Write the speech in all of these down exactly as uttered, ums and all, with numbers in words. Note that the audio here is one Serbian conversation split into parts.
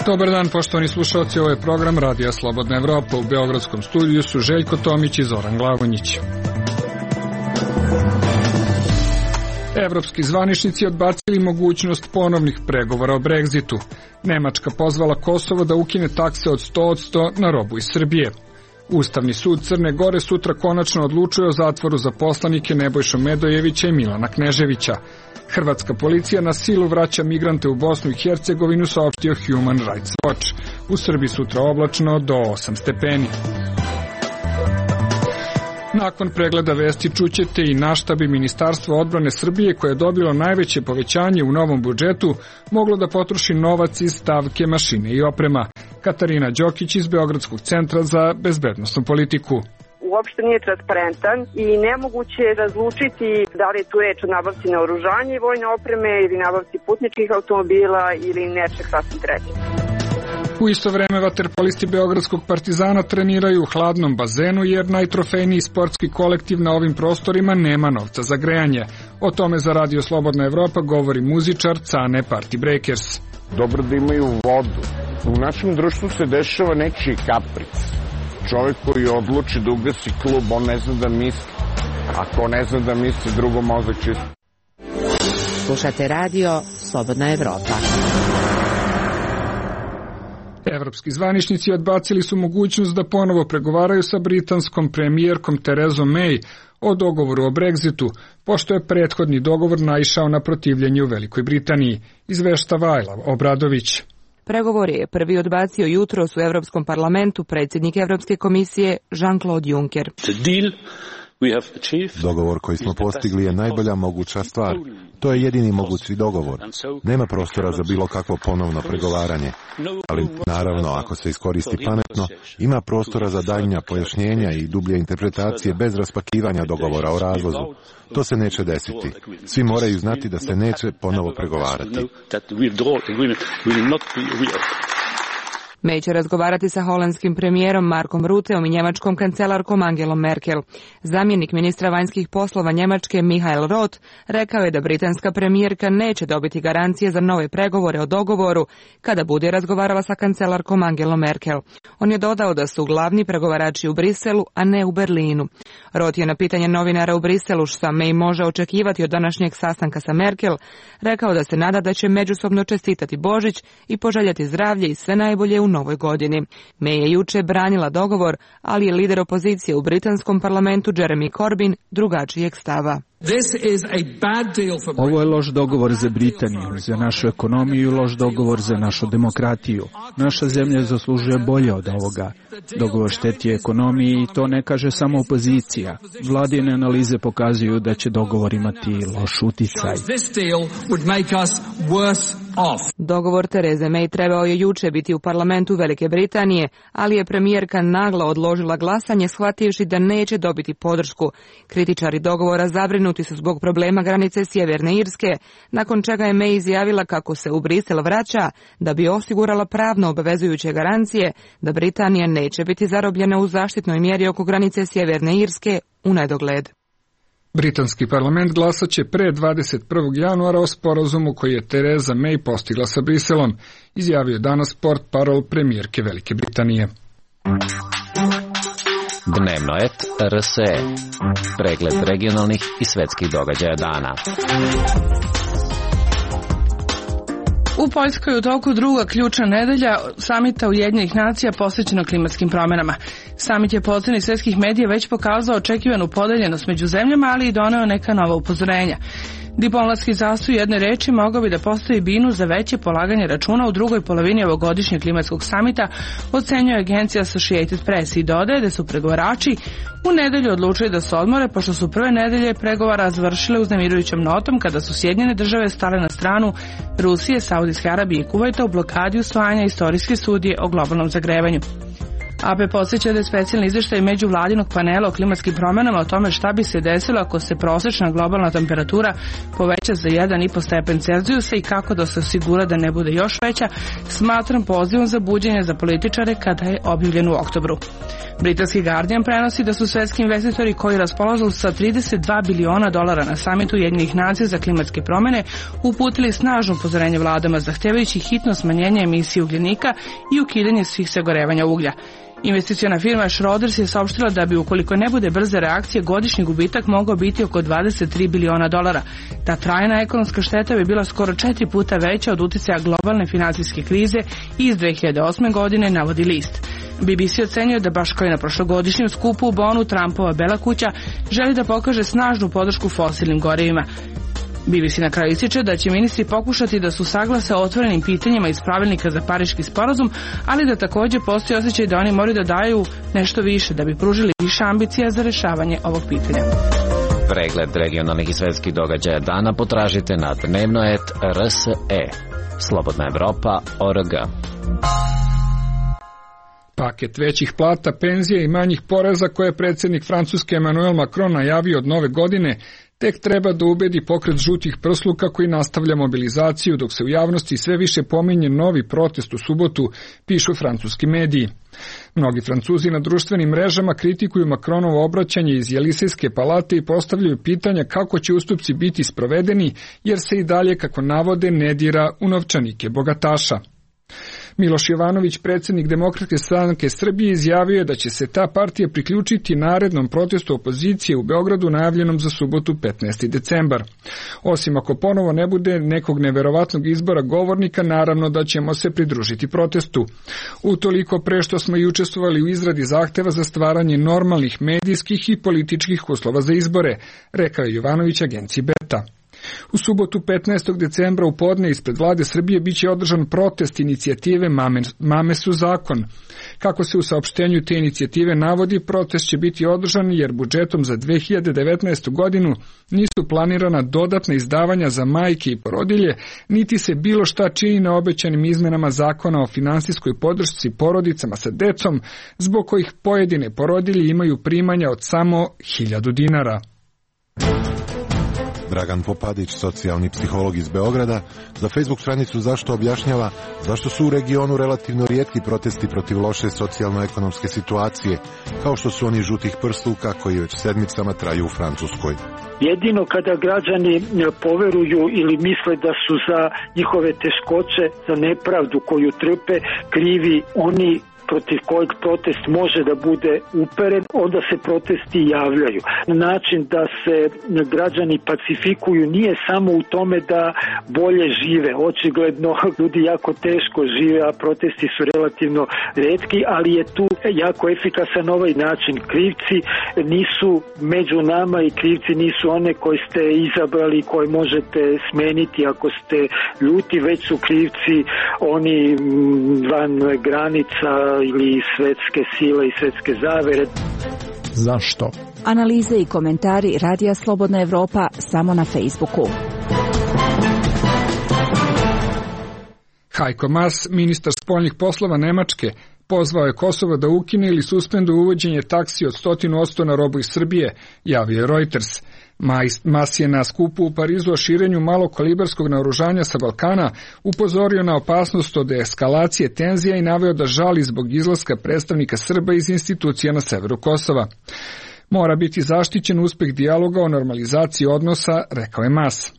Dobar dan, poštovani slušalci, ovo je program Radija Slobodna Evropa. U beogradskom studiju su Željko Tomić i Zoran Glavonjić. Evropski zvaničnici odbacili mogućnost ponovnih pregovora o Brexitu. Nemačka pozvala Kosovo da ukine takse od sto posto na robu iz Srbije. Ustavni sud Crne Gore sutra konačno odlučuje o zatvoru za poslanike Nebojšu Medojevića i Milana Kneževića. Hrvatska policija na silu vraća migrante u Bosnu i Hercegovinu, saopštio Human Rights Watch. U Srbiji sutra oblačno do osam stepeni. Nakon pregleda vesti čućete i na šta bi Ministarstvo odbrane Srbije, koje je dobilo najveće povećanje u novom budžetu, moglo da potroši novac iz stavke mašine i oprema. Katarina Đokić iz Beogradskog centra za bezbednosnu politiku. Uopšte nije transparentan i nemoguće je razlučiti da li je tu reč o nabavci naoružanja i vojne opreme ili nabavci putničkih automobila ili nečeg sasvim trećeg. U isto vreme vaterpolisti Beogradskog Partizana treniraju u hladnom bazenu jer najtrofejniji sportski kolektiv na ovim prostorima nema novca za grejanje. O tome za Radio Slobodna Evropa govori muzičar Cane Party Breakers. Dobro da imaju vodu. U našem društvu se dešava nečiji kapric. Čovjek koji odluči da ugasi klub, on ne zna da misli. Ako ne zna da misli, drugo mozak čisto. Slušate Radio Slobodna Evropa. Evropski zvaničnici odbacili su mogućnost da ponovo pregovaraju sa britanskom premijerkom Terezom May o dogovoru o Brexitu, pošto je prethodni dogovor naišao na protivljenje u Velikoj Britaniji, izveštava Ajla Obradović. Pregovor je prvi odbacio jutros u Evropskom parlamentu predsjednik Evropske komisije Jean-Claude Juncker. Dogovor koji smo postigli je najbolja moguća stvar. To je jedini mogući dogovor. Nema prostora za bilo kakvo ponovno pregovaranje. Ali naravno, ako se iskoristi pametno, ima prostora za daljnja pojašnjenja i dublje interpretacije bez raspakivanja dogovora o razvozu. To se neće desiti. Svi moraju znati da se neće ponovo pregovarati. May će razgovarati sa holandskim premijerom Markom Rutteom i njemačkom kancelarkom Angelom Merkel. Zamjenik ministra vanjskih poslova Njemačke Michael Roth rekao je da britanska premijerka neće dobiti garancije za nove pregovore o dogovoru kada bude razgovarala sa kancelarkom Angelom Merkel. On je dodao da su glavni pregovarači u Briselu, a ne u Berlinu. Roth je na pitanje novinara u Briselu šta May može očekivati od današnjeg sastanka sa Merkel rekao da se nada da će međusobno čestitati Božić i poželjeti zdravlje i sve najbolje u novoj godini. May je juče branila dogovor, ali je lider opozicije u britanskom parlamentu Jeremy Corbyn drugačijeg stava. Ovo je loš dogovor za Britaniju, za našu ekonomiju i loš dogovor za našu demokratiju. Naša zemlja zaslužuje bolje od ovoga. Dogovor šteti ekonomiji i to ne kaže samo opozicija. Vladine analize pokazuju da će dogovor imati loš uticaj. Dogovor Tereze May trebao je juče biti u parlamentu Velike Britanije, ali je premijerka naglo odložila glasanje shvativši da neće dobiti podršku. Kritičari dogovora zabrinuti su zbog problema granice Sjeverne Irske, nakon čega je May izjavila kako se u Brisel vraća da bi osigurala pravno obavezujuće garancije da Britanija neće biti zarobljena u zaštitnoj mjeri oko granice Sjeverne Irske u nedogled. Britanski parlament glasat će pre dvadeset prvog januara o sporazumu koji je Tereza May postigla sa Briselom, izjavio danas portparol premijerke Velike Britanije. Dnevno et R S E. Pregled regionalnih i svetskih događaja dana. U Poljskoj je u toku druga ključna nedelja samita Ujedinjenih nacija posvećena klimatskim promjenama. Samit je po oceni svjetskih medija već pokazao očekivanu podeljenost među zemljama, ali i doneo neka nova upozorenja. Diplomatski zastoj jedne reči mogao bi da postavi binu za veće polaganje računa u drugoj polovini ovogodišnjeg klimatskog samita, ocenjuje agencija Associated Press i dodaje da su pregovarači u nedelju odlučili da se odmore, pošto su prve nedelje pregovara završile uznemirujućom notom kada su Sjedinjene države stale na stranu Rusije, Saudijske Arabije i Kuvajta u blokadi usvajanja istorijske studije o globalnom zagrevanju. A P podsjeća da je specijalni izveštaj međuvladinog panela o klimatskim promjenama o tome šta bi se desilo ako se prosječna globalna temperatura poveća za jedan i po stepen Celzijusa i kako da se osigura da ne bude još veća, smatram pozivom za buđenje za političare kada je objavljen u oktobru. Britanski Guardian prenosi da su svetski investitori koji raspolažu sa trideset dva biliona dolara na samitu Ujedinjenih nacija za klimatske promjene uputili snažno upozorenje vladama zahtevajući hitno smanjenje emisije ugljenika i ukidanje svih sagorevanja uglja. Investiciona firma Schroders je saopštila da bi ukoliko ne bude brze reakcije godišnji gubitak mogao biti oko dvadeset tri biliona dolara. Ta trajna ekonomska šteta bi bila skoro četiri puta veća od uticaja globalne finansijske krize iz dve hiljade osme godine, navodi list. B B C ocenjuje da baš kao i na prošlogodišnjem skupu u Bonu, Trumpova Bela kuća želi da pokaže snažnu podršku fosilnim gorivima. B B C na kraju ističe da će ministri pokušati da su saglase o otvorenim pitanjima iz pravilnika za Pariški sporazum, ali da također postoji osjećaj da oni moraju da daju nešto više da bi pružili više ambicija za rešavanje ovog pitanja. Pregled regionalnih i svetskih događaja dana potražite na dnevno et r s e. Slobodna Evropa точка org. Paket većih plata, penzija i manjih poreza koje je predsjednik Francuske Emmanuel Macron najavio od nove godine tek treba da ubedi pokret žutih prsluka koji nastavlja mobilizaciju dok se u javnosti sve više pominje novi protest u subotu, pišu francuski mediji. Mnogi Francuzi na društvenim mrežama kritikuju Macronovo obraćanje iz Jelisejske palate i postavljaju pitanja kako će ustupci biti sprovedeni jer se i dalje, kako navode, ne dira u novčanike bogataša. Miloš Jovanović, predsjednik Demokratske stranke Srbije, izjavio je da će se ta partija priključiti narednom protestu opozicije u Beogradu najavljenom za subotu petnaesti decembar. Osim ako ponovo ne bude nekog neverovatnog izbora govornika, naravno da ćemo se pridružiti protestu. Utoliko pre što smo i učestvovali u izradi zahteva za stvaranje normalnih medijskih i političkih uslova za izbore, rekao je Jovanović agenciji Beta. U subotu petnaestog decembra u podne ispred vlade Srbije biće održan protest inicijative Mame, Mame su zakon. Kako se u saopštenju te inicijative navodi, protest će biti održan jer budžetom za dve hiljade devetnaestu godinu nisu planirana dodatna izdavanja za majke i porodilje, niti se bilo šta čini na obećanim izmenama zakona o finansijskoj podršci porodicama sa decom, zbog kojih pojedine porodilje imaju primanja od samo hiljadu dinara. Dragan Popadić, socijalni psiholog iz Beograda, za Facebook stranicu Zašto objašnjava zašto su u regionu relativno rijetki protesti protiv loše socijalno-ekonomske situacije, kao što su oni žutih prsluka koji već sedmicama traju u Francuskoj. Jedino kada građani poveruju ili misle da su za njihove teškoće, za nepravdu koju trpe, krivi oni protiv kojeg protest može da bude uperen, onda se protesti javljaju. Način da se građani pacifikuju nije samo u tome da bolje žive. Očigledno ljudi jako teško žive, a protesti su relativno retki, ali je tu jako efikasan ovaj način. Krivci nisu među nama i krivci nisu one koje ste izabrali, koje možete smeniti ako ste ljuti, već su krivci oni van granica ili svetske sile i svetske zavere. Zašto? Analize i komentari Radija Slobodna Evropa samo na Facebooku. Heiko Maas, ministar spoljnih poslova Nemačke, pozvao je Kosovo da ukine ili suspenduje uvođenje taksi od sto posto na robu iz Srbije, javio je Reuters. Maas je na skupu u Parizu o širenju malokalibarskog naoružanja sa Balkana upozorio na opasnost od eskalacije tenzija i naveo da žali zbog izlaska predstavnika Srba iz institucija na severu Kosova. Mora biti zaštićen uspeh dijaloga o normalizaciji odnosa, rekao je Maas.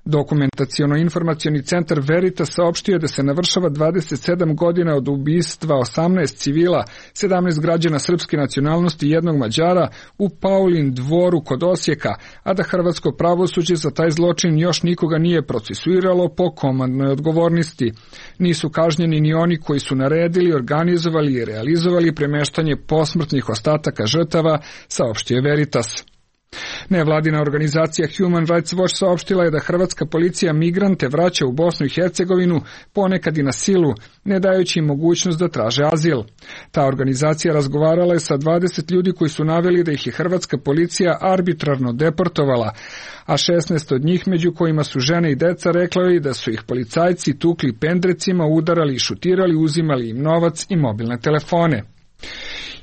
Dokumentaciono-informacioni centar Veritas saopštio je da se navršava dvadeset sedam godina od ubistva osamnaest civila, sedamnaest građana srpske nacionalnosti i jednog Mađara u Paulin dvoru kod Osijeka, a da hrvatsko pravosuđe za taj zločin još nikoga nije procesuiralo po komandnoj odgovornosti. Nisu kažnjeni ni oni koji su naredili, organizovali i realizovali premeštanje posmrtnih ostataka žrtava, saopštio je Veritas. Nevladina organizacija Human Rights Watch saopštila je da hrvatska policija migrante vraća u Bosnu i Hercegovinu, ponekad i na silu, ne dajući im mogućnost da traže azil. Ta organizacija razgovarala je sa dvadeset ljudi koji su naveli da ih je hrvatska policija arbitrarno deportovala, a šesnaest od njih, među kojima su žene i deca, rekla je da su ih policajci tukli pendrecima, udarali i šutirali, uzimali im novac i mobilne telefone.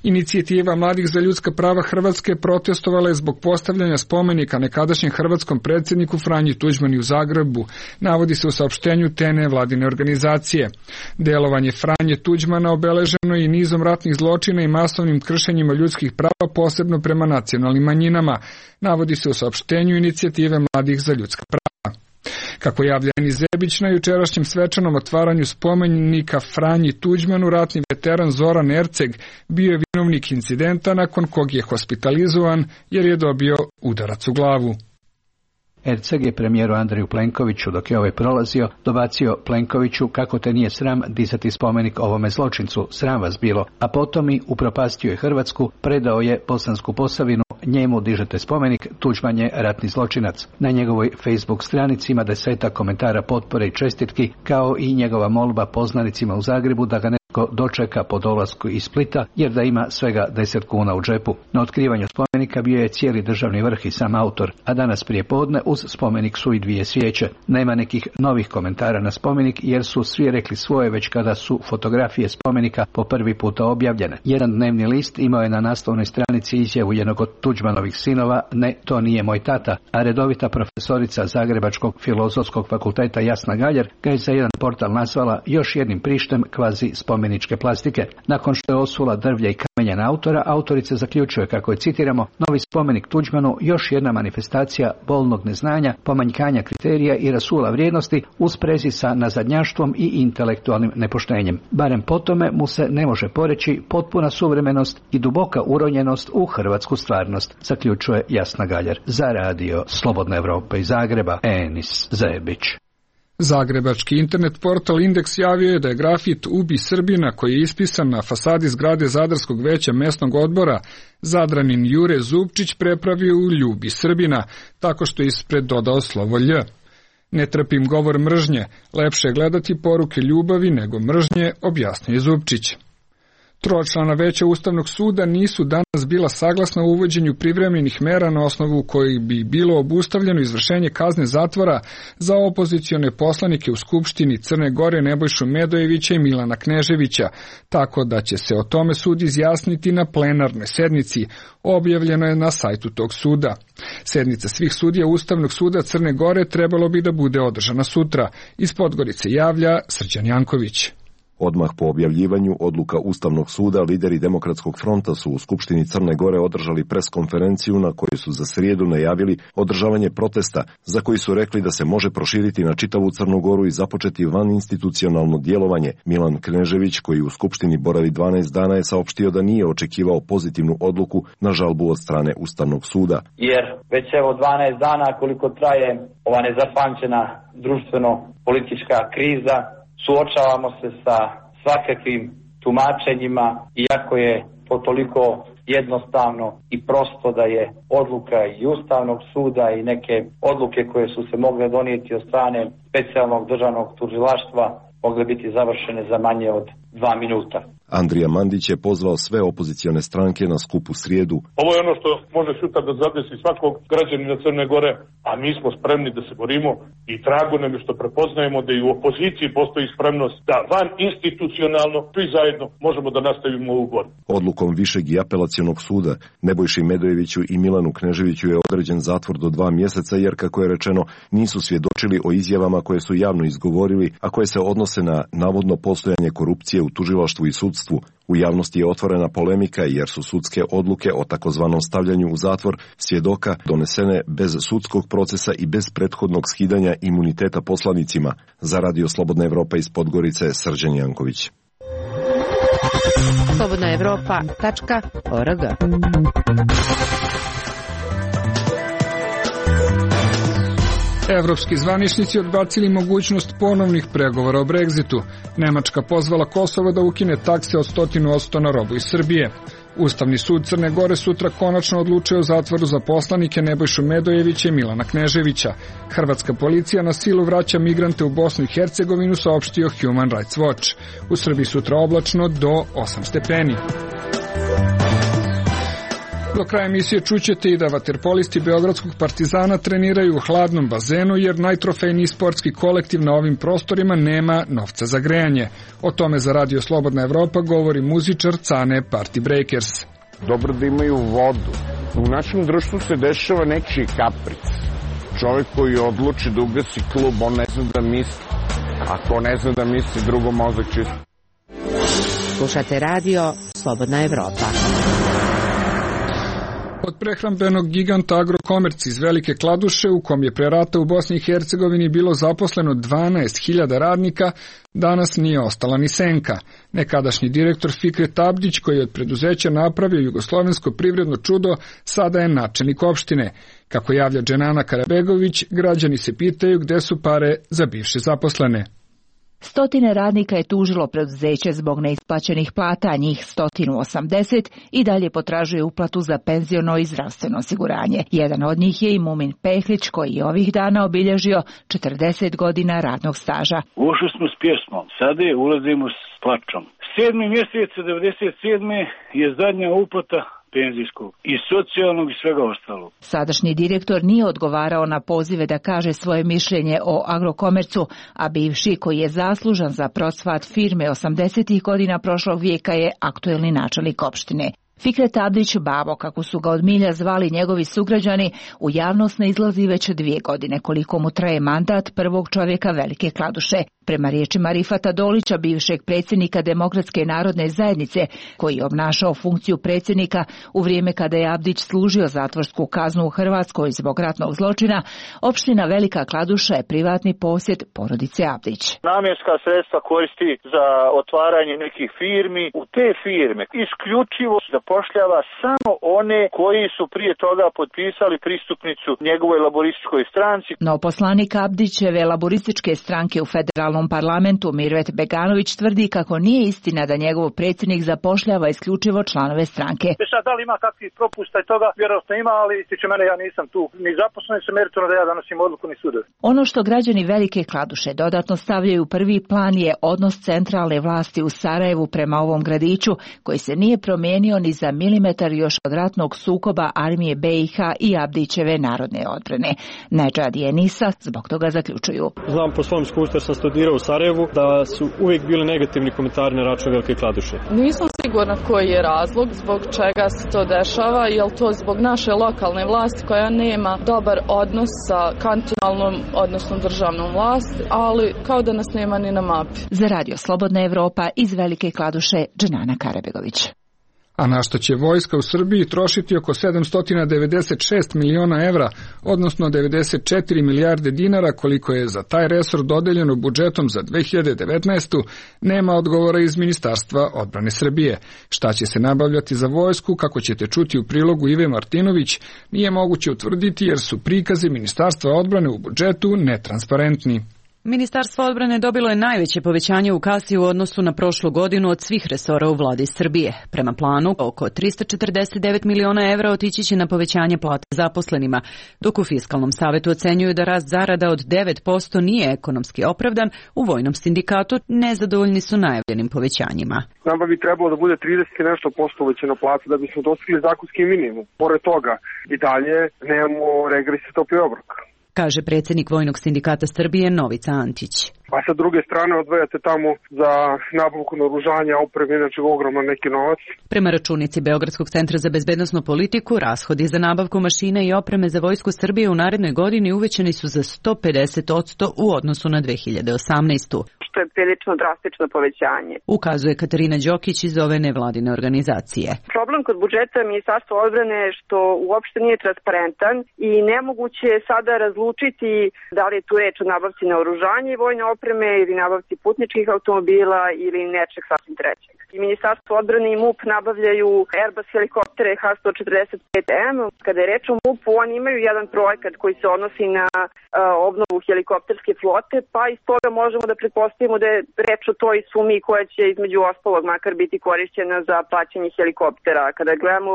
Inicijativa Mladih za ljudska prava Hrvatske protestovala je zbog postavljanja spomenika nekadašnjem hrvatskom predsjedniku Franji Tuđmanu u Zagrebu, navodi se u saopštenju te nevladine organizacije. Delovanje Franje Tuđmana obeleženo je i nizom ratnih zločina i masovnim kršenjima ljudskih prava, posebno prema nacionalnim manjinama, navodi se u saopštenju Inicijative Mladih za ljudska prava. Kako javlja Enis Zebić, na jučerašnjem svečanom otvaranju spomenika Franji Tuđmanu, ratni veteran Zoran Erceg bio je vinovnik incidenta nakon kog je hospitalizovan jer je dobio udarac u glavu. Erceg je premijeru Andreju Plenkoviću, dok je ovaj prolazio, dobacio Plenkoviću kako te nije sram dizati spomenik ovome zločincu, sram vas bilo, a potom i upropastio je Hrvatsku, predao je Bosansku Posavinu, njemu dižete spomenik, Tuđman je ratni zločinac. Na njegovoj Facebook stranici ima desetak komentara potpore i čestitki, kao i njegova molba poznanicima u Zagrebu da ga ne dočeka po dolasku iz Splita, jer da ima svega deset kuna u džepu. Na otkrivanju spomenika bio je cijeli državni vrh i sam autor, a danas prije podne uz spomenik su i dvije svijeće. Nema nekih novih komentara na spomenik, jer su svi rekli svoje već kada su fotografije spomenika po prvi puta objavljene. Jedan dnevni list imao je na naslovnoj stranici izjavu jednog od Tuđmanovih sinova, ne, to nije moj tata, a redovita profesorica Zagrebačkog filozofskog fakulteta Jasna Galjer ga je za jedan portal nazvala još jednim prištem kvazi spomeničke plastike. Nakon što je osula drvlja i kamenja na autora, autorica zaključuje kako je, citiramo, novi spomenik Tuđmanu još jedna manifestacija bolnog neznanja, pomanjkanja kriterija i rasula vrijednosti u sprezi sa nazadnjaštvom i intelektualnim nepoštenjem. Barem po tome mu se ne može poreći potpuna suvremenost i duboka uronjenost u hrvatsku stvarnost, zaključuje Jasna Galjer. Za radio Slobodna Evropa iz Zagreba, Enis Zebić. Zagrebački internet portal Indeks javio je da je grafit Ubi Srbina, koji je ispisan na fasadi zgrade Zadarskog veća mesnog odbora, Zadranin Jure Zupčić prepravio u Ljubi Srbina, tako što je ispred dodao slovo Lj. Ne trpim govor mržnje, lepše je gledati poruke ljubavi nego mržnje, objasnio je Zupčić. Tročlana veća Ustavnog suda nisu danas bila saglasna u uvođenju privremenih mera na osnovu kojih bi bilo obustavljeno izvršenje kazne zatvora za opozicione poslanike u Skupštini Crne Gore Nebojšu Medojevića i Milana Kneževića, tako da će se o tome sud izjasniti na plenarnoj sednici, objavljeno je na sajtu tog suda. Sednica svih sudija Ustavnog suda Crne Gore trebalo bi da bude održana sutra. Iz Podgorice javlja Srđan Janković. Odmah po objavljivanju odluka Ustavnog suda, lideri Demokratskog fronta su u Skupštini Crne Gore održali preskonferenciju na kojoj su za srijedu najavili održavanje protesta, za koji su rekli da se može proširiti na čitavu Crnu Goru i započeti vaninstitucionalno djelovanje. Milan Knežević, koji u Skupštini boravi dvanaest dana, je saopštio da nije očekivao pozitivnu odluku na žalbu od strane Ustavnog suda. Jer već evo dvanaest dana koliko traje ova nezapamćena društveno-politička kriza, suočavamo se sa svakakvim tumačenjima, iako je to toliko jednostavno i prosto da je odluka i Ustavnog suda i neke odluke koje su se mogle donijeti od strane specijalnog državnog tužilaštva mogle biti završene za manje od dva minuta. Andrija Mandić je pozvao sve opozicione stranke na skup u srijedu. Ovo je ono što može sutra da zadesi svakog građanina Crne Gore, a mi smo spremni da se borimo i drago nam je što prepoznajemo da i u opoziciji postoji spremnost da van institucionalno svi zajedno možemo da nastavimo ovu borbu. Odlukom Višeg i apelacionog suda Nebojši Medojeviću i Milanu Kneževiću je određen zatvor do dva mjeseca, jer, kako je rečeno, nisu svjedočili o izjavama koje su javno izgovorili, a koje se odnose na navodno postojanje korupcije u tužilaštvu i sudstvu. U javnosti je otvorena polemika jer su sudske odluke o takozvanom stavljanju u zatvor svjedoka donesene bez sudskog procesa i bez prethodnog skidanja imuniteta poslanicima. Za radio Slobodna Evropa iz Podgorice, Srđan Janković. slobodna evropa tačka org. Evropski zvaničnici odbacili mogućnost ponovnih pregovora o Brexitu. Nemačka pozvala Kosovo da ukine takse od sto posto na robu iz Srbije. Ustavni sud Crne Gore sutra konačno odlučuje o zatvoru za poslanike Nebojšu Medojevića i Milana Kneževića. Hrvatska policija na silu vraća migrante u Bosnu i Hercegovinu, saopštio Human Rights Watch. U Srbiji sutra oblačno do osam stepeni. Do kraja emisije čućete i da vaterpolisti Beogradskog Partizana treniraju u hladnom bazenu jer najtrofejniji sportski kolektiv na ovim prostorima nema novca za grejanje. O tome za Radio Slobodna Evropa govori muzičar Cane Party Breakers. Dobro da imaju vodu. U našem društvu se dešava nečiji kapric. Čovjek koji odluči da ugasi klub, on ne zna da misli. Ako ne zna da misli, drugo mozak čisto. Slušate Radio Slobodna Evropa. Od prehrambenog giganta Agrokomerc iz Velike Kladuše, u kom je pre rata u Bosni i Hercegovini bilo zaposleno dvanaest hiljada radnika, danas nije ostala ni senka. Nekadašnji direktor Fikret Abdić, koji je od preduzeća napravio jugoslovensko privredno čudo, sada je načelnik opštine. Kako javlja Dženana Karabegović, građani se pitaju gde su pare za bivše zaposlene. Stotine radnika je tužilo preduzeće zbog neisplaćenih plata, njih sto osamdeset i dalje potražuje uplatu za penziono i zdravstveno osiguranje. Jedan od njih je i Mumin Pehlić, koji je ovih dana obilježio četrdeset godina radnog staža. Ušli smo s pjesmom, sada je ulazimo s plačom. Sedmi mjesec devedeset sedme je zadnja uplata penzijskog i socijalnog i svega ostalog. Sadašnji direktor nije odgovarao na pozive da kaže svoje mišljenje o Agrokomercu, a bivši, koji je zaslužan za procvat firme osamdesetih godina prošlog vijeka, je aktuelni načelnik opštine. Fikret Abdić, babo, kako su ga od milja zvali njegovi sugrađani, u javnost ne izlazi već dvije godine, koliko mu traje mandat prvog čovjeka Velike Kladuše. Prema riječima Rifata Dolića, bivšeg predsjednika Demokratske narodne zajednice, koji je obnašao funkciju predsjednika u vrijeme kada je Abdić služio zatvorsku kaznu u Hrvatskoj zbog ratnog zločina, opština Velika Kladuša je privatni posjed porodice Abdić. Namjenska sredstva koristi za otvaranje nekih firmi. U te firme isključivo zapošljava samo one koji su prije toga potpisali pristupnicu njegovoj laborističkoj stranci. No poslanik Abdićeve laborističke stranke u federalnom parlamentu Mirvet Beganović tvrdi kako nije istina da njegov predsjednik zapošljava isključivo članove stranke. Sad, da li ima kakvih propusta i toga? Vjerojatno ima, ali tiče mene, ja nisam tu ni zaposlen, se meritorno da ja donosim odluku ni sudovi. Ono što građani Velike Kladuše dodatno stavljaju u prvi plan je odnos centralne vlasti u Sarajevu prema ovom gradiću, koji se nije promijenio ni za milimetar još od ratnog sukoba armije be i ha i Abdićeve narodne odbrane. Nedžad i Enisa zbog toga zaključuju. Znam po svom iskustvu, jer sam studirao u Sarajevu, da su uvijek bili negativni komentari na račun Velike Kladuše. Nisam sigurna koji je razlog zbog čega se to dešava, je li to zbog naše lokalne vlasti koja nema dobar odnos sa kantonalnom, odnosno državnom vlasti, ali kao da nas nema ni na mapi. Za Radio Slobodna Evropa iz Velike Kladuše, Dženana Karabegović. A na što će vojska u Srbiji trošiti oko sedamsto devedeset šest miliona evra, odnosno devedeset četiri milijarde dinara, koliko je za taj resor dodeljeno budžetom za dve hiljade devetnaestu. nema odgovora iz Ministarstva odbrane Srbije. Šta će se nabavljati za vojsku, kako ćete čuti u prilogu Ive Martinović, nije moguće utvrditi jer su prikazi Ministarstva odbrane u budžetu netransparentni. Ministarstvo odbrane dobilo je najveće povećanje u kasi u odnosu na prošlu godinu od svih resora u vladi Srbije. Prema planu, oko tristo četrdeset devet miliona evra otići će na povećanje plate zaposlenima, dok u Fiskalnom savetu ocenjuju da rast zarada od devet posto nije ekonomski opravdan. U Vojnom sindikatu nezadovoljni su najavljenim povećanjima. Nama bi trebalo da bude trideset i nešto posto uvećana plata da bismo dostigli zakonski minimum. Pored toga i dalje nemamo regres i topli obrok, kaže predsjednik Vojnog sindikata Srbije Novica Antić. A sa druge strane odvajate tamo za nabavku naoružanja, opreme, inače ogroman neki novac. Prema računici Beogradskog centra za bezbednosnu politiku, rashodi za nabavku mašina i opreme za vojsku Srbije u narednoj godini uvećani su za sto pedeset posto u odnosu na dve hiljade osamnaestu. Što je prilično drastično povećanje, ukazuje Katarina Đokić iz ove nevladine organizacije. Problem kod budžeta Ministarstva odbrane je što uopšte nije transparentan i nemoguće je sada razlučiti da li je tu reč o nabavci naoružanja i vojne opreme ili nabavci putničkih automobila ili nečeg sasvim trećeg. I Ministarstvo odbrane i MUP nabavljaju Airbus helikoptere ha sto četrdeset pet em. Kada je reč o MUP-u, oni imaju jedan projekat koji se odnosi na uh, obnovu helikopterske flote, pa iz toga možemo da pretpostavimo pretpostavimo da je reč o toj sumi koja će između ostalog makar biti korišćena za plaćanje helikoptera. Kada gledamo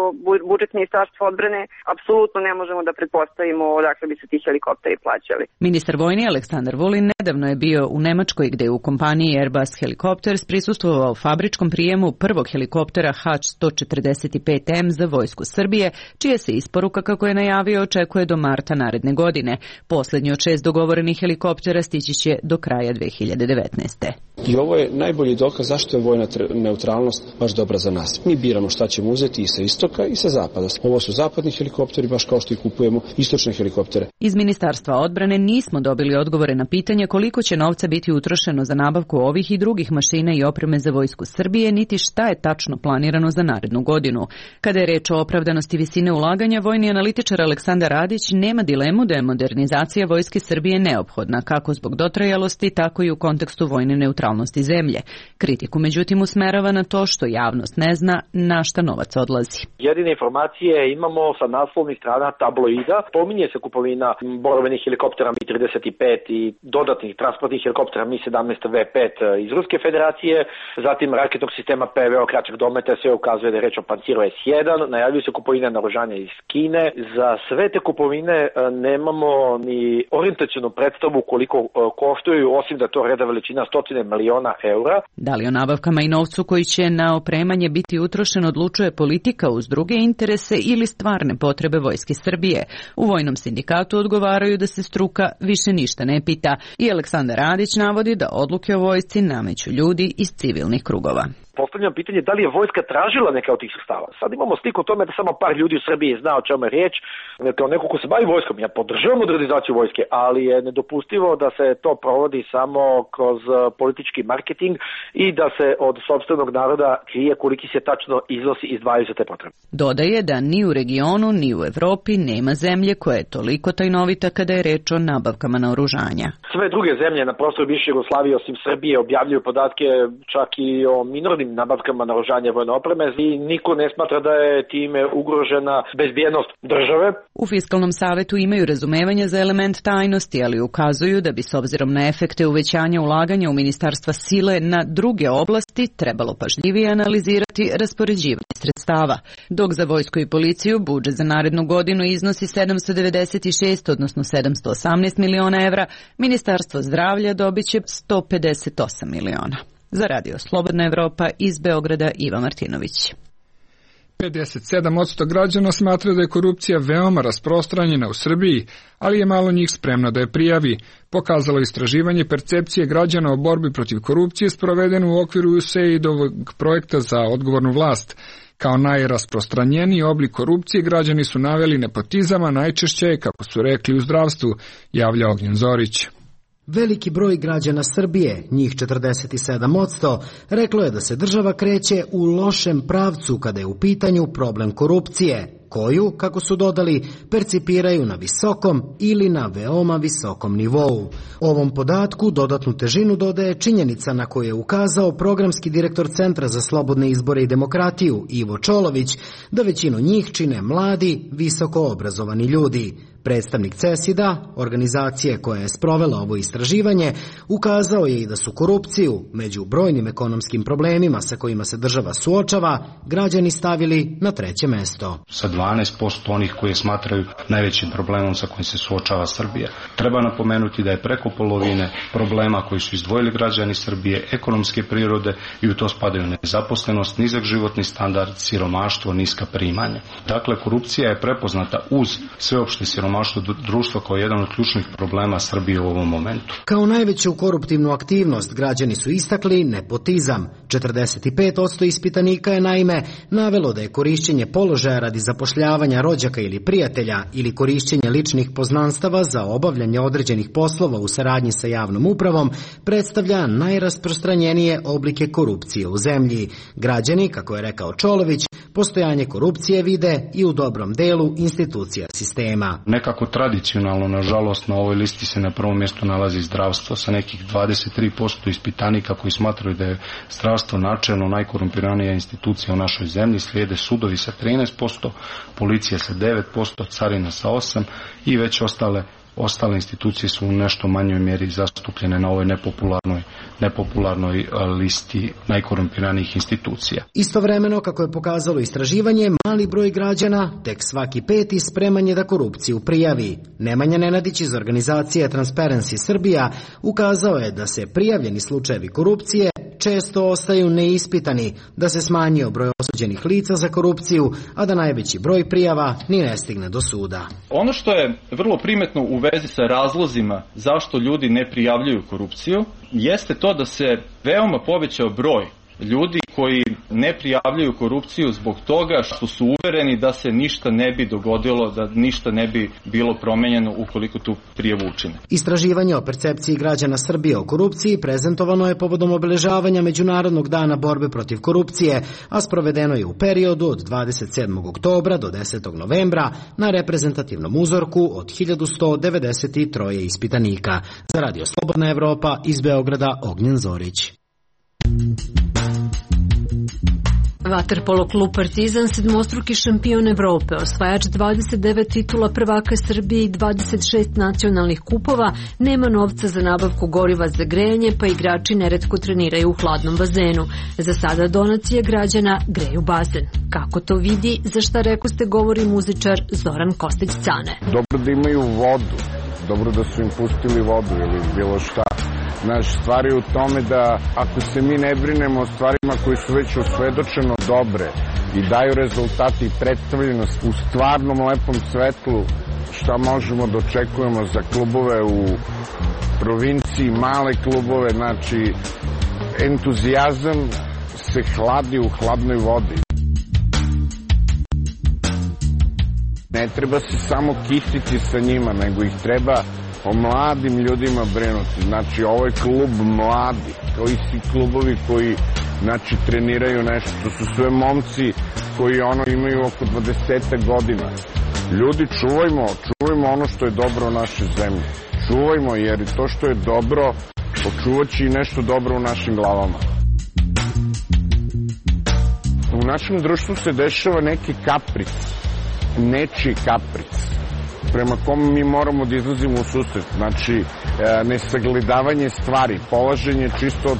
budžet Ministarstva odbrane, apsolutno ne možemo da pretpostavimo odakle bi se ti helikopteri plaćali. Ministar vojni Aleksandar Vulin nedavno je bio u Nemačkoj gde je u kompaniji Airbus Helicopters prisustvovao fabričkom prijemu prvog helikoptera H sto četrdeset pet M za vojsku Srbije, čija se isporuka, kako je najavio, očekuje do marta naredne godine. Poslednji od šest dogovorenih helikoptera stići će do kraja dve hiljade devetnaeste. I ovo je najbolji dokaz zašto je vojna neutralnost baš dobra za nas. Mi biramo šta ćemo uzeti i sa istoka i sa zapada. Ovo su zapadni helikopteri, baš kao što i kupujemo istočne helikoptere. Iz Ministarstva odbrane nismo dobili odgovore na pitanje koliko će novca biti utrošeno za nabavku ovih i drugih mašina i opreme za vojsku Srbije, niti šta je tačno planirano za narednu godinu. Kada je reč o opravdanosti visine ulaganja, vojni analitičar Aleksandar Radić nema dilemu da je modernizacija vojske Srbije neophodna, kako zbog dotrajalosti, tako i u kontekstu vojne neutralnosti zemlje. Kritiku međutim usmerava na to što javnost ne zna na šta novac odlazi. Jedine informacije imamo sa naslovnih strana tabloida. Pominje se kupovina borbenih helikoptera Mi trideset pet i dodatnih transportnih helikoptera Mi sedamnaest V pet iz Ruske federacije, zatim raketnog sistema P V O kraćeg dometa, sve ukazuje da je reč o Panciru S jedan, najavljuju se kupovine naoružanja iz Kine. Za sve te kupovine nemamo ni orijentacionu predstavu koliko koštuju, osim da to reda veličina stotine miliona eura. Da li o nabavkama i novcu koji će na opremanje biti utrošen odlučuje politika uz druge interese ili stvarne potrebe vojske Srbije? U vojnom sindikatu odgovaraju da se struka više ništa ne pita i Aleksandar Radić navodi da odluke o vojsci nameću ljudi iz civilnih krugova. Postavljam pitanje da li je vojska tražila neka od tih sredstava. Sad imamo sliku o tome da samo par ljudi u Srbiji zna o čemu je riječ. Kao neko ko se bavi vojskom, ja podržavam modernizaciju vojske, ali je nedopustivo da se to provodi samo kroz politički marketing i da se od sopstvenog naroda krije koliki se tačno iznosi izdvajaju za te potrebe. Dodaje da ni u regionu, ni u Evropi nema zemlje koja je toliko tajnovita kada je reč o nabavkama naoružanja. Sve druge zemlje na prostoru bivše Jugoslavije osim Srbije objavljuju podatke čak i o minornim nabavkama naoružanja vojne opreme i niko ne smatra da je time ugrožena bezbjednost države. U Fiskalnom savetu imaju razumevanje za element tajnosti, ali ukazuju da bi s obzirom na efekte uvećanja ulaganja u ministarstva sile na druge oblasti trebalo pažljivije analizirati raspoređivanje sredstava. Dok za vojsku i policiju budžet za narednu godinu iznosi sedamsto devedeset šest, odnosno sedamsto osamnaest miliona evra, Ministarstvo zdravlja dobiće sto pedeset osam miliona. Za Radio Slobodna Evropa iz Beograda Iva Martinović. pedeset sedam posto građana smatra da je korupcija veoma rasprostranjena u Srbiji, ali je malo njih spremno da je prijavi. Pokazalo istraživanje percepcije građana o borbi protiv korupcije sprovedeno u okviru U S A I D-ovog projekta za odgovornu vlast. Kao najrasprostranjeniji oblik korupcije građani su naveli nepotizam, a najčešće je, kako su rekli, u zdravstvu, javlja Ognjen Zorić. Veliki broj građana Srbije, njih četrdeset sedam posto, reklo je da se država kreće u lošem pravcu kada je u pitanju problem korupcije, koju, kako su dodali, percipiraju na visokom ili na veoma visokom nivou. Ovom podatku dodatnu težinu dodaje činjenica na koju je ukazao programski direktor Centra za slobodne izbore i demokratiju Ivo Čolović, da većinu njih čine mladi, visoko obrazovani ljudi. Predstavnik CESID-a, organizacije koja je sprovela ovo istraživanje, ukazao je i da su korupciju, među brojnim ekonomskim problemima sa kojima se država suočava, građani stavili na treće mesto. Sa dvanaest posto onih koji smatraju najvećim problemom sa kojim se suočava Srbija. Treba napomenuti da je preko polovine problema koji su izdvojili građani Srbije ekonomske prirode i u to spadaju nezaposlenost, nizak životni standard, siromaštvo, niska primanja. Dakle, korupcija je prepoznata uz sveopšte siromaštvo društva kao jedan od ključnih problema Srbije u ovom momentu. Kao najveću koruptivnu aktivnost građani su istakli nepotizam. četrdeset pet posto ispitanika je naime navelo da je korišćenje položaja radi zapošljavanja rođaka ili prijatelja ili korišćenje ličnih poznanstava za obavljanje određenih poslova u saradnji sa javnom upravom predstavlja najrasprostranjenije oblike korupcije u zemlji. Građani, kako je rekao Čolović, postojanje korupcije vide i u dobrom delu institucija sistema. Nekako tradicionalno, nažalost, na ovoj listi se na prvom mjestu nalazi zdravstvo sa nekih dvadeset tri posto ispitanika koji smatraju da je zdravstvo načelno najkorumpiranija institucija u našoj zemlji, slijede sudovi sa trinaest posto, policija sa devet posto, carina sa osam posto i već ostale ostale institucije su u nešto manjoj mjeri zastupljene na ovoj nepopularnoj, nepopularnoj listi najkorumpiranijih institucija. Istovremeno, kako je pokazalo istraživanje, mali broj građana, tek svaki peti, spreman je da korupciju prijavi. Nemanja Nenadić iz organizacije Transparency Srbija ukazao je da se prijavljeni slučajevi korupcije često ostaju neispitani, da se smanjio broj osuđenih lica za korupciju, a da najveći broj prijava ni ne stigne do suda. Ono što je vrlo primetno u vezi sa razlozima zašto ljudi ne prijavljuju korupciju, jeste to da se veoma povećao broj ljudi koji ne prijavljuju korupciju zbog toga što su uvereni da se ništa ne bi dogodilo, da ništa ne bi bilo promenjeno ukoliko tu prijavu učine. Istraživanje o percepciji građana Srbije o korupciji prezentovano je povodom obeležavanja Međunarodnog dana borbe protiv korupcije, a sprovedeno je u periodu od dvadeset sedmog oktobra do desetog novembra na reprezentativnom uzorku od hiljadu sto devedeset tri ispitanika. Za Radio Slobodna Evropa iz Beograda, Ognjen Zorić. Vaterpolo klub Partizan, sedmostruki šampion Evrope, osvajač dvadeset devet titula prvaka Srbije i dvadeset šest nacionalnih kupova, nema novca za nabavku goriva za grejanje, pa igrači neretko treniraju u hladnom bazenu. Za sada donacije građana greju bazen. Kako to vidi, za šta rekoste govori muzičar Zoran Kostić-Cane. Dobro da imaju vodu, dobro da su im pustili vodu ili bilo šta. Naš stvar je u tome da ako se mi ne brinemo o stvarima koje su već osvedočeno dobre i daju rezultati i predstavljenost u stvarnom lepom svetlu, šta možemo da očekujemo za klubove u provinciji, male klubove, znači entuzijazam se hladi u hladnoj vodi. Ne treba se samo kititi sa njima, nego ih treba o mladim ljudima brinuti. Znači, ovo je klub mladi, kao i svi klubovi koji, znači, treniraju nešto. To su sve momci koji, ono, imaju oko dvadeset godina. Ljudi, čuvajmo, čuvajmo ono što je dobro u našoj zemlji. Čuvajmo, jer to što je dobro, očuvat će i nešto dobro u našim glavama. U našem društvu se dešava neki kapric, nečiji kapric, prema kom mi moramo da izlazimo u susret. Znači, nesagledavanje stvari, polaženje čisto od,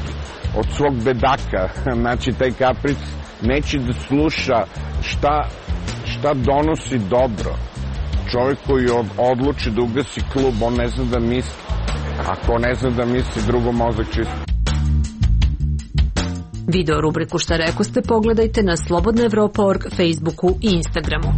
od svog bedaka. Znači, taj kapric neće da sluša šta, šta donosi dobro. Čovjek koji od, odluči da ugasi klub, on ne zna da misli. Ako ne zna da misli, drugo mozak čisto. Video rubriku Šta rekoste pogledajte na slobodna evropa tačka org, Facebooku i Instagramu.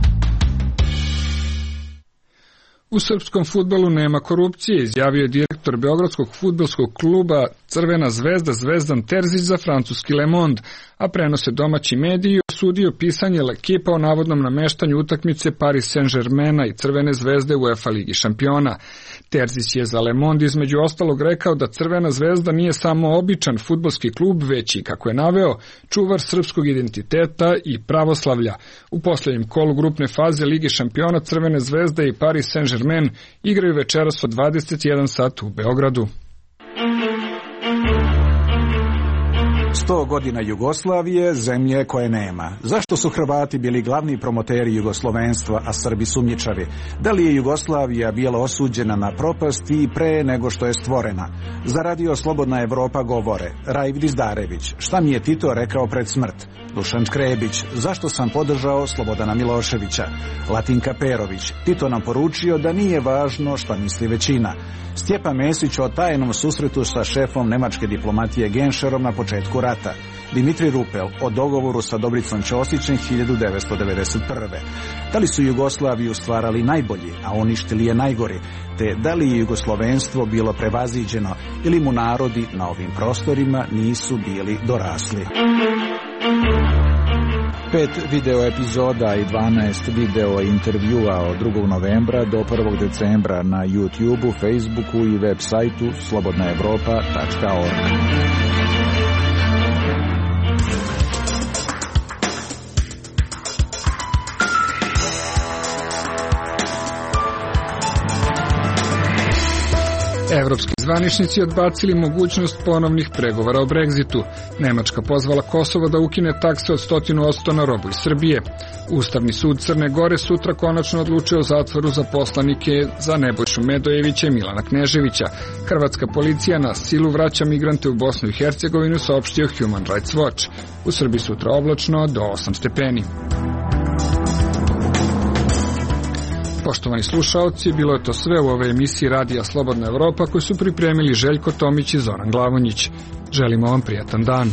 U srpskom fudbalu nema korupcije, izjavio je direktor Beogradskog fudbalskog kluba Crvena zvezda Zvezdan Terzić za francuski Le Monde, a prenose domaći mediji osudio pisanje L'Equipa o navodnom nameštanju utakmice Paris Saint-Germaina i Crvene zvezde u UEFA Ligi šampiona. Terzić je za Le Monde između ostalog rekao da Crvena zvezda nije samo običan fudbalski klub, već i, kako je naveo, čuvar srpskog identiteta i pravoslavlja. U posljednjem kolu grupne faze Lige šampiona Crvene zvezde i Paris Saint-Germain igraju večeras od dvadeset jedan sat u Beogradu. Sto godina Jugoslavije, zemlje koje nema. Zašto su Hrvati bili glavni promoteri jugoslovenstva, a Srbi sumnjičavi? Da li je Jugoslavija bila osuđena na propast i pre nego što je stvorena? Za Radio Slobodna Evropa govore Rajv Dizdarević, šta mi je Tito rekao pred smrt? Dušan Škrebić, zašto sam podržao Slobodana Miloševića? Latinka Perović, Tito nam poručio da nije važno šta misli većina. Stjepan Mesić o tajnom susretu sa šefom nemačke diplomatije Genšerom na početku rata. Dimitri Rupel o dogovoru sa Dobricom Ćosićem hiljadu devetsto devedeset prve. Da li su Jugoslaviju stvarali najbolji, a uništili je najgori, te da li je jugoslovenstvo bilo prevaziđeno ili mu narodi na ovim prostorima nisu bili dorasli. Pet video epizoda i dvanaest video intervjua od drugog novembra do prvog decembra na YouTubeu, Facebooku i web sajtu slobodna evropa tačka org. Evropski zvaničnici odbacili mogućnost ponovnih pregovora o Brexitu. Nemačka pozvala Kosovo da ukine takse od sto posto na robu iz Srbije. Ustavni sud Crne Gore sutra konačno odlučio o zatvoru za poslanike za Nebojšu Medojevića i Milana Kneževića. Hrvatska policija na silu vraća migrante u Bosnu i Hercegovinu, saopštio Human Rights Watch. U Srbiji sutra oblačno do osam stepeni. Poštovani slušaoci, bilo je to sve u ovoj emisiji Radija Slobodna Evropa koju su pripremili Željko Tomić i Zoran Glavonjić. Želimo vam prijatan dan.